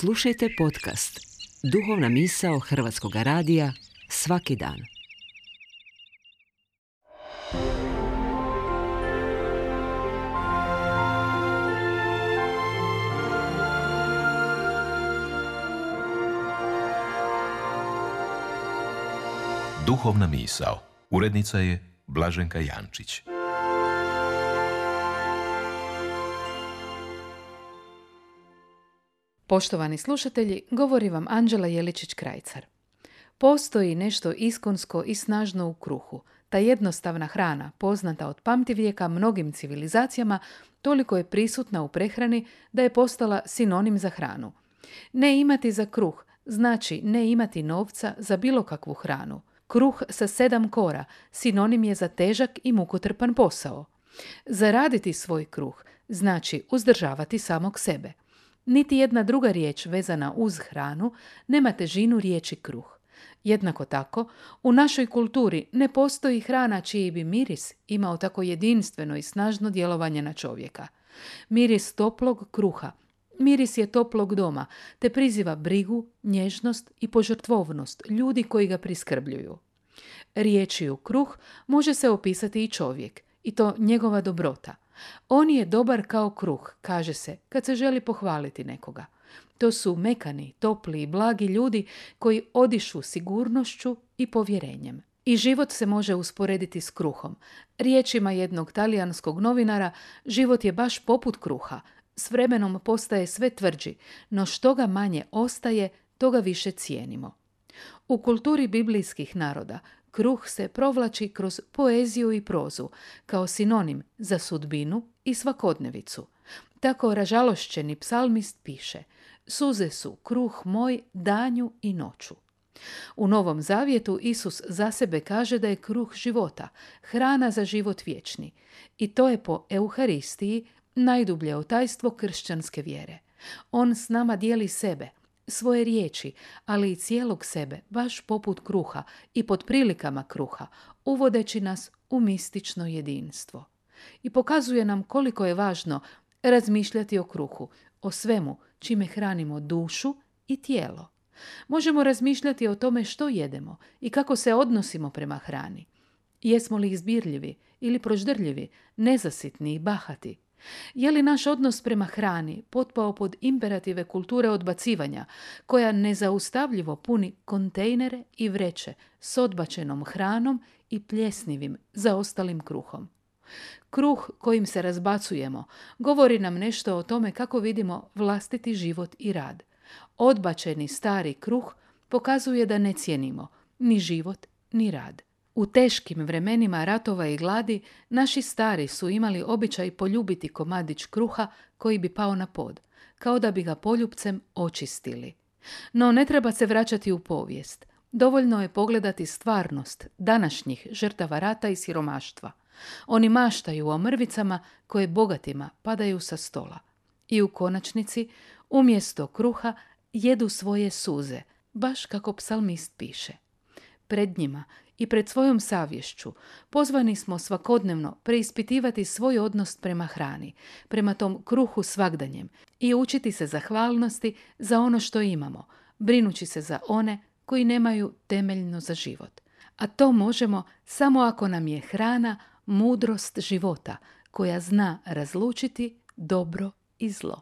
Slušajte podcast Duhovna misao Hrvatskog radija svaki dan. Duhovna misao. Urednica je Blaženka Jančić. Poštovani slušatelji, govori vam Anđela Jeličić-Krajcar. Postoji nešto iskonsko i snažno u kruhu. Ta jednostavna hrana, poznata od pamtivijeka mnogim civilizacijama, toliko je prisutna u prehrani da je postala sinonim za hranu. Ne imati za kruh znači ne imati novca za bilo kakvu hranu. Kruh sa 7 kora sinonim je za težak i mukotrpan posao. Zaraditi svoj kruh znači uzdržavati samog sebe. Niti jedna druga riječ vezana uz hranu nema težinu riječi kruh. Jednako tako, u našoj kulturi ne postoji hrana čiji bi miris imao tako jedinstveno i snažno djelovanje na čovjeka. Miris toplog kruha, miris je toplog doma, te priziva brigu, nježnost i požrtvovnost ljudi koji ga priskrbljuju. Riječju kruh može se opisati i čovjek, i to njegova dobrota. On je dobar kao kruh, kaže se, kad se želi pohvaliti nekoga. To su mekani, topli i blagi ljudi koji odišu sigurnošću i povjerenjem. I život se može usporediti s kruhom. Riječima jednog talijanskog novinara, život je baš poput kruha. S vremenom postaje sve tvrđi, no što ga manje ostaje, to ga više cijenimo. U kulturi biblijskih naroda kruh se provlači kroz poeziju i prozu, kao sinonim za sudbinu i svakodnevicu. Tako ražalošćeni psalmist piše: suze su kruh moj danju i noću. U Novom Zavjetu Isus za sebe kaže da je kruh života, hrana za život vječni. I to je po Euharistiji najdublje tajstvo kršćanske vjere. On s nama dijeli sebe, svoje riječi, ali i cijelog sebe, baš poput kruha i pod prilikama kruha, uvodeći nas u mistično jedinstvo. I pokazuje nam koliko je važno razmišljati o kruhu, o svemu čime hranimo dušu i tijelo. Možemo razmišljati o tome što jedemo i kako se odnosimo prema hrani. Jesmo li izbirljivi ili proždrljivi, nezasitni i bahati? Je li naš odnos prema hrani potpao pod imperative kulture odbacivanja, koja nezaustavljivo puni kontejnere i vreće s odbačenom hranom i pljesnivim zaostalim kruhom? Kruh kojim se razbacujemo govori nam nešto o tome kako vidimo vlastiti život i rad. Odbačeni stari kruh pokazuje da ne cijenimo ni život ni rad. U teškim vremenima ratova i gladi naši stari su imali običaj poljubiti komadić kruha koji bi pao na pod, kao da bi ga poljupcem očistili. No ne treba se vraćati u povijest. Dovoljno je pogledati stvarnost današnjih žrtava rata i siromaštva. Oni maštaju o mrvicama koje bogatima padaju sa stola. I u konačnici, umjesto kruha, jedu svoje suze, baš kako psalmist piše. Pred njima i pred svojom savješću pozvani smo svakodnevno preispitivati svoj odnos prema hrani, prema tom kruhu svagdanjem i učiti se zahvalnosti za ono što imamo, brinući se za one koji nemaju temeljno za život. A to možemo samo ako nam je hrana mudrost života koja zna razlučiti dobro i zlo.